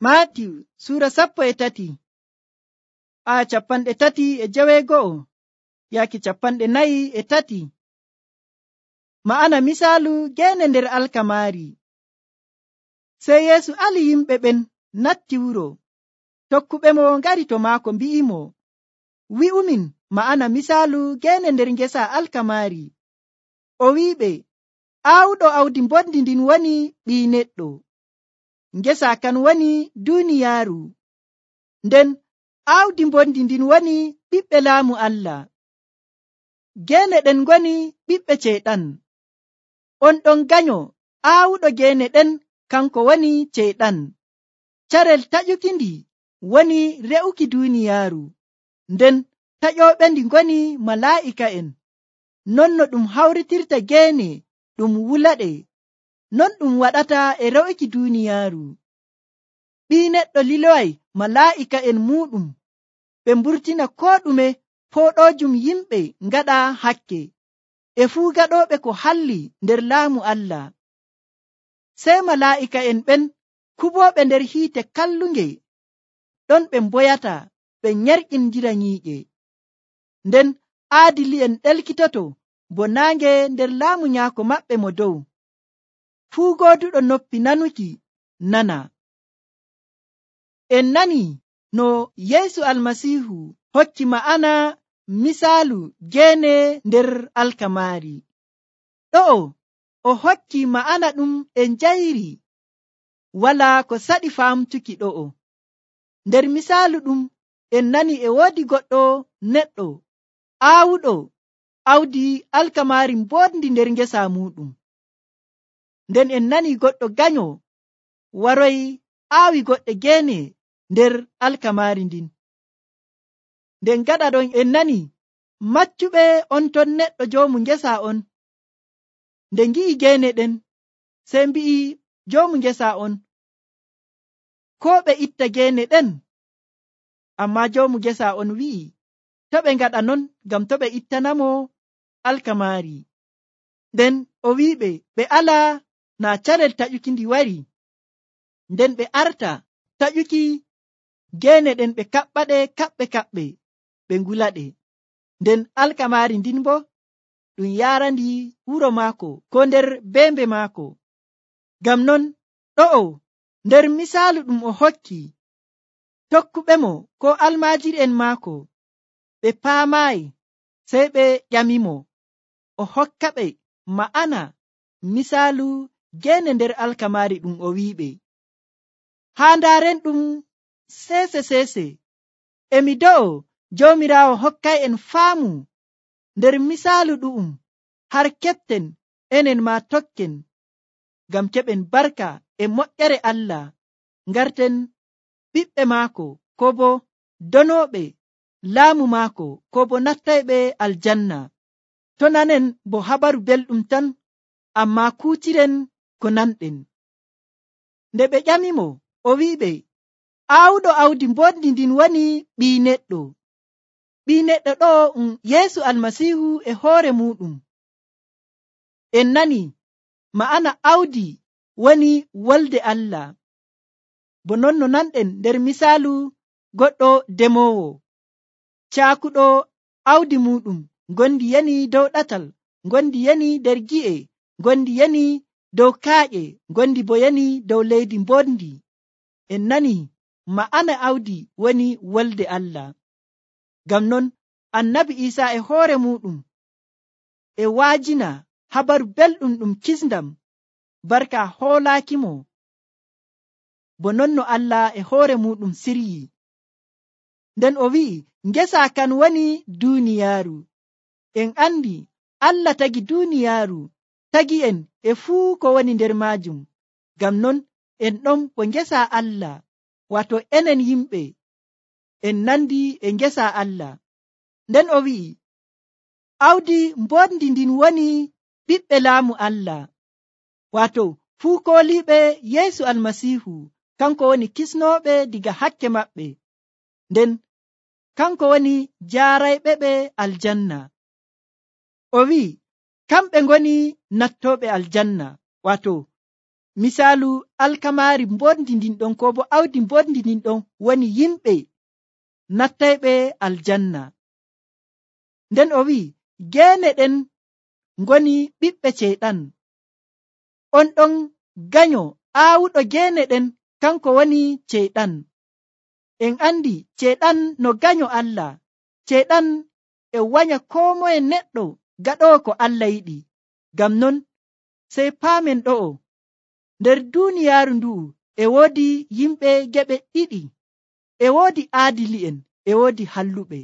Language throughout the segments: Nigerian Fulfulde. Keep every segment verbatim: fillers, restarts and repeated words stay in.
Maatiw suura sappo e tati aya capanɗe tati e jeweego'o yaaki capanɗe nayi e tati. Ma'ana misaalu geene nder alkamaari. Sey Yeesu ali yimɓe ɓen natti wuro. Tokkuɓe mo ngari to maako mbi'imo, wi'umin ma'ana misaalu geene nder ngesa alkamaari. O wi'iɓe, aawuɗo awdi mbondi ndin woni ɓii neɗɗo. Ngesa kan woni duuniyaaru. Nden aawdi mbondi ndin woni ɓiɓɓe laamu Allah. Geene ɗen ngoni ɓiɓɓe ceyɗan. On ɗon ganyo aawuɗo geene ɗen kanko woni ceyɗan. Carel taƴukindi woni re'uki duuniyaaru. Nden taƴooɓe ndi ngoni malaa'ika'en. Non no ɗum hawritirta geene ɗum wulaɗe, non ɗum waɗata e re'uki duuniyaaru. Ɓii neɗɗo liloway malaa'ika'en muuɗum ɓe mburtina koo ɗume pooɗoojum yimɓe ngaɗa hakke e fuu gaɗooɓe ko halli nder laamu Allah. Sey malaa'ika'en ɓen kuɓooɓe nder hiite kallunge ɗon ɓe mboyata ɓe nyerƴindira nyiiƴe. Nden aadili'en ɗelkitoto bo naange nder laamu nyaako maɓɓe mo dow. Fuu gooduɗo noppi nanuki nana. En nani no Yeesu Almasiihu hokki ma'ana misaalu geene nder alkamaari. Ɗo'o o hokki ma'ana ɗum en njayri, walaa ko saɗi faamtuki ɗo'o. Nder misaalu ɗum en nani e woodi goɗɗo neɗɗo aawuɗo awdi alkamaari mbondi nder ngesa muɗum. Nden en nani goɗɗo ganyo waroy aawi goɗɗe geene nder alkamaari ndin. Nden gaɗa ɗon en nani maccuɓe on ton neɗɗo joomu ngesa on. Nde ngi'i geene ɗen sey mbi'i joomu ngesa on, koo ɓe itta geene ɗen. Ammaa joomu ngesa on wi'i, to ɓe ngaɗa non ngam to ɓe ittanamo alkamaari. Nden o wi'iɓe ɓe ala naa carel taƴuki ndi wari. Nden ɓe arta taƴuki geene ɗen ɓe kaɓɓaɗe kaɓɓe kaɓɓe ɓe ngulaɗe. Nden alkamaari ndin bo ɗum yaarandi wuro maako ko nder beembe maako. Ngam non ɗo'o nder misaalu ɗum o hokki, tokkuɓe mo ko almaajiri'en maako ɓe paamaayi, sey ɓe ƴamimo o hokka ɓe ma'ana misaalu geene nder alkamaari ɗum o wi'iɓe. Haa ndaaren ɗum seese seese, emi do'o Joomiraawo hokkay'en faamu nder misaalu ɗu'um, har keɓten enen maa tokken, ngam keɓen barka e moƴƴere Allah, ngarten ɓiɓɓe maako, ko bo donooɓe laamu maako, ko bo nattayɓe aljanna. To nanen bo habaru belɗum tan, ammaa kuutiren ko nanɗen. Nde ɓe ƴamimo, o wi'iɓe, aawuɗo awdi mbondi ndin woni ɓii neɗɗo. Ɓii neɗɗo ɗo um Yeesu Almasiihu e hoore muɗum. En nani ma'ana awdi woni wolde Allah. Bo non no nanɗen nder misaalu goɗɗo demoowo caakuɗo awdi muɗum, ngondi yani dow ɗatal, ngondi yani nder gi'e, ngondi yani dow kaaƴe, ngondi bo yani dow leydi mbondi. En nani ma'ana awdi woni wolde Allah. Ngam non annabi Iisaa e hoore muɗum e waajina habaru belɗum ɗum kisndam barka hoolaakimo, bo non no Allah e hoore muɗum siryi. Nden o wi'i ngesa kan woni duuniyaaru. En andi Allah tagi duuniyaaru, tagi en e fuu ko woni nder maajum. Ngam non en ɗon bo ngesa Allah, wato enen yimɓe en nandi e ngesa Allah. Nden o wi'i awdi mbondi ndin woni ɓiɓɓe laamu Allah, wato fuu kooliiɓe Yeesu Almasiihu, kanko woni kisnooɓe diga hakke maɓɓe. Nden kanko woni jaarayɓe ɓe aljanna. O wi'i kamɓe ngoni nattooɓe aljanna, wato misaalu alkamaari mbondi ndin ɗon ko bo awdi mbondi ndin ɗon woni yimɓe nattayɓe aljanna. Nden o wi'i geene ɗen ngoni ɓiɓɓe ceyɗan. On ɗon ganyo aawuɗo geene ɗen kanko woni ceyɗan. En andi ceyɗan no ganyo Allah. Ceyɗan e wanya koo moye neɗɗo gaɗowo ko Allah yiɗi. Ngam non sey paamen ɗo'o nder duuniyaaru ndu'u e woodi yimɓe geɓe ɗiɗi. E woodi aadili'en, e woodi halluɓe.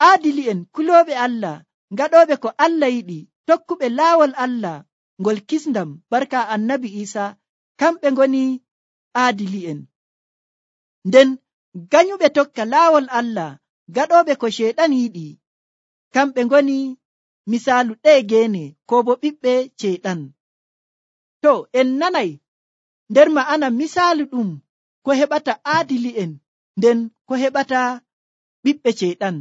Aadili'en kulooɓe Allah, gaɗooɓe ko Allah yiɗi, tokkuɓe laawol Allah ngol kisndam barka annabi Iisa, kamɓe ngoni aadili'en. Nden ganyuɓe tokka laawol Allah, gaɗooɓe ko ceyɗan yiɗi, kamɓe ngoni misaalu ɗee geene ko bo ɓiɓɓe ceyɗan. To en nanay nder ma'ana misaalu ɗum ko heɓata aadili'en nden ko heɓata ɓiɓɓe ceyɗan.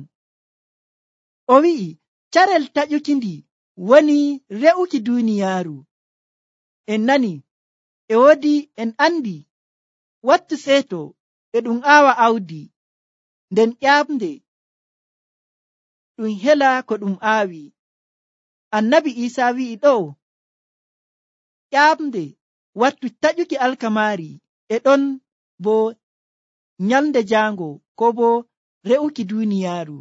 O wi'i carel taƴukindi woni re'uki duuniyaaru. En nani e woodi en andi wattu seeto e ɗum aawa awdi, nden ƴaamde ɗum hela ko ɗum aawi. Annabi Iisa wi'i ɗo ƴaamde wattu taƴuki alkamaari e ɗon bo nyalde jaango ko bo re'uki duuniyaaru.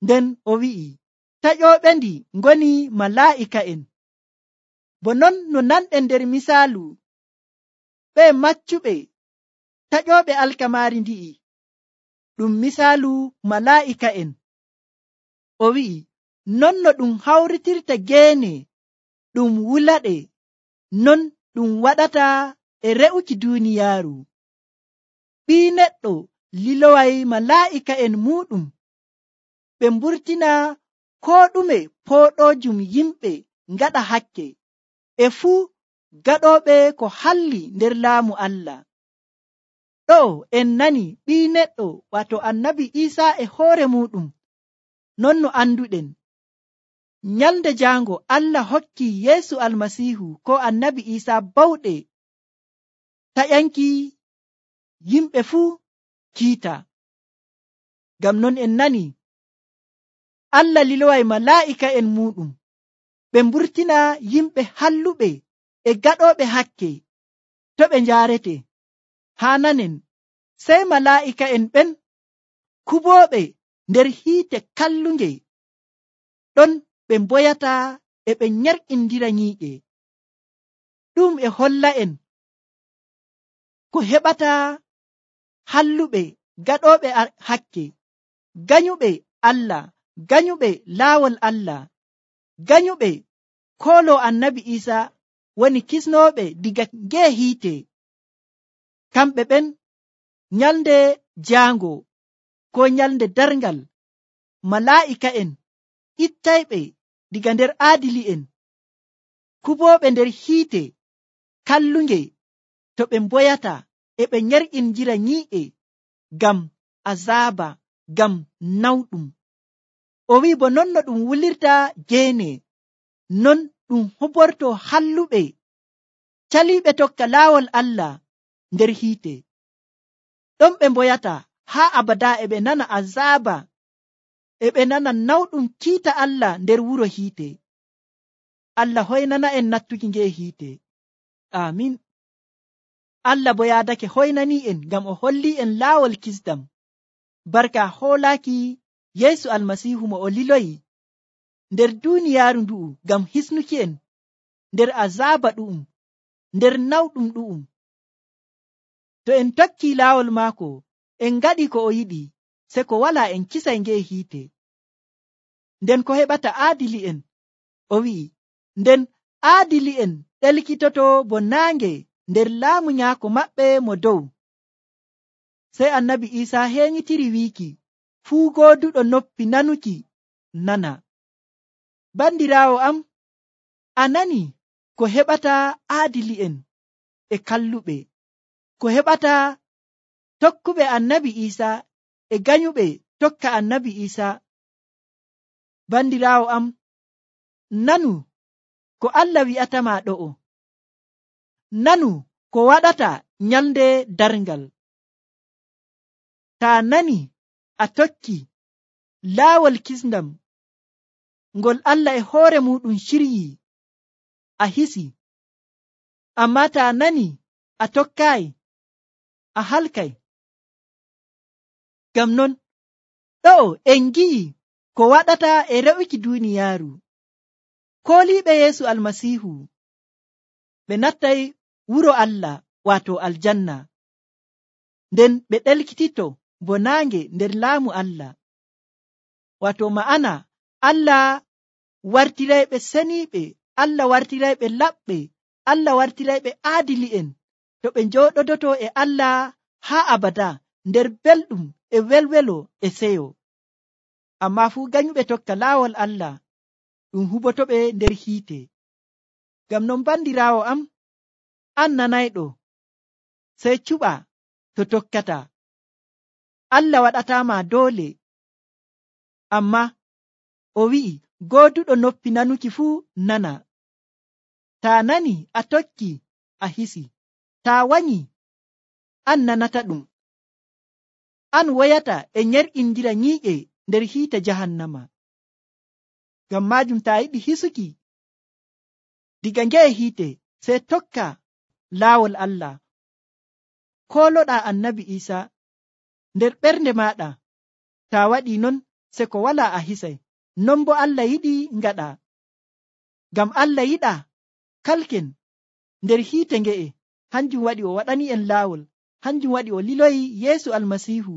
Nden o wi'i taƴooɓe ndi ngoni malaa'ika'en. Bo non no nanɗen nder misaalu ɓe maccuɓe taƴooɓe alkamaari ndi'i ɗum misaalu malaa'ika'en. O wi'i non no ɗum hawritirta geene ɗum wulaɗe, non ɗum waɗata e re'uki duuniyaaru. Ɓii neɗɗo liloway malaa'ika'en muuɗum ɓe mburtina koo ɗume pooɗoojum yimɓe ngaɗa hakke, e fuu gaɗooɓe ko halli nder laamu Allah. Ɗo en nani ɓii neɗɗo wato annabi Iisa e hoore muuɗum. Non no anduɗen nyalde jaango Allah hokki Yeesu Almasiihu ko annabi Iisa bawɗe taƴanki yimɓe fuu kiita. Ngam non en nani Allah liloway malaa'ika'en muuɗum ɓe mburtina yimɓe halluɓe e gaɗooɓe hakke to ɓe njaarete. Haa nanen sey malaa'ika'en ɓen kubooɓe nder hiite kallunge ɗon ɓe mboyata e ɓe nyarƙindira nyiiƴe. Ɗum e holla'en ko heɓata halluɓe gaɗooɓe hakke, ganyuɓe Allah, ganyuɓe laawol Allah, ganyuɓe koolo annabi Iisa woni kisnooɓe diga ngee hiite. Kamɓe ɓen nyalde jaango ko nyalde darngal malaa'ika'en ittayɓe diga nder aadili'en, kubooɓe nder hiite kallunge to ɓe mboyata e ɓe nyarƙindira nyii'e ngam azaaba, ngam nawɗum. O wi'i bo non no ɗum wulirta geene, non ɗum huborto halluɓe caliiɓe tokka laawol Allah nder hiite. Ɗon ɓe mboyata haa abada e ɓe nana azaaba, e ɓe nana nawɗum kiita Allah nder wuro hiite. Allah hoynana en nattuki ngee hiite. Amin. Allah bo yaadake hoynanii en ngam o hollii en laawol kisdam barka hoolaaki Yeesu Almasiihu mo o liloyi nder duuniyaaru ndu'u ngam hisnuki en nder azaaba ɗu'um, nder nawɗum ɗu'um. To en tokkii laawol maako en ngaɗi ko o yiɗi, se ko walaa en kisay ngee hiite. Nden ko heɓata aadili'en, o wi'i nden aadili'en ɗelkitoto bo naange nder laamu nyaako maɓɓe mo dow. Sey annabi Iisa heenyitiri wiiki fuu gooduɗo noppi nanuki nana. Bandiraawo am, a nani ko heɓata aadili'en e kalluɓe, ko heɓata tokkuɓe annabi Iisa e ganyuɓe tokka annabi Iisa. Bandiraawo am, nanu ko Allah wi'atama ɗo'o. nanu ko waɗata nyalde darngal. Taa nani a tokki laawol kisndam ngol Allah e hoore muɗum shiryi, a hisi. Amma taa nani a tokkaayi, a halkay. Ngam non ɗo'o en ngi'i ko waɗata e re'uki duuniyaaru. Kooliiɓe Yeesu Almasiihu ɓe nattay wuro Allah waato aljanna, nden ɓe ɗelkitito bo naange nder laamu Allah. Waato ma'ana Allah wartirayɓe seniiɓe, Allah wartirayɓe laɓɓe, Allah wartirayɓe aadili'en to ɓe njooɗodoto e Allah haa abada nder belɗum e welwelo e seyo. Ammaa fuu ganyuɓe tokka laawol Allah ɗum hubotoɓe nder hiite. Ngam non bandiraawo am, an nanayɗo, sey cuɓa to tokkata. Allah waɗataama doole, ammaa o wi'i gooduɗo noppi nanuki fuu nana. Taa nani a tokki a hisi, taa wanyi an nanata ɗum. An woyata e nyer'indira nyii'e nder hiite jahannama. Ngam maajum taa yiɗi hisuki diga nge'e hiite, sey tokka laawol Allah. Kooloɗaa annabi Iisa nder ɓernde maaɗa. Taa waɗii non, se ko walaa a hisay. Non bo Allah yiɗi ngaɗa. Ngam Allah yiɗaa kalken nder hiite nge'e. Hanjum waɗi o waɗani en laawol. Hanjum waɗi o liloyi Yeesu Almasiihu.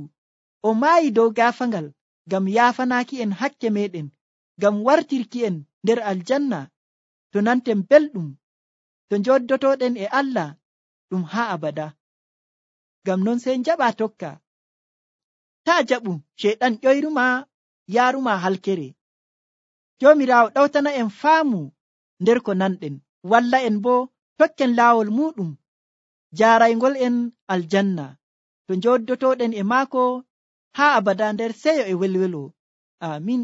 O maayi dow gaafangal ngam yaafanaaki en hakke meɗen, ngam wartirki en nder aljanna to nanten belɗum, to njoddotoɗen e Allah ɗum haa abada. Ngam non sey njaɓa tokka. Taa jaɓu ceyɗan ƴoyruma yaaruma halkere. Joomiraawo ɗawtana en faamu nder ko nanɗen, walla en bo tokken laawol muɗum jaaraygol en aljanna to njoddotoɗen e maako haa abada nder seyo e welwelo. Amin.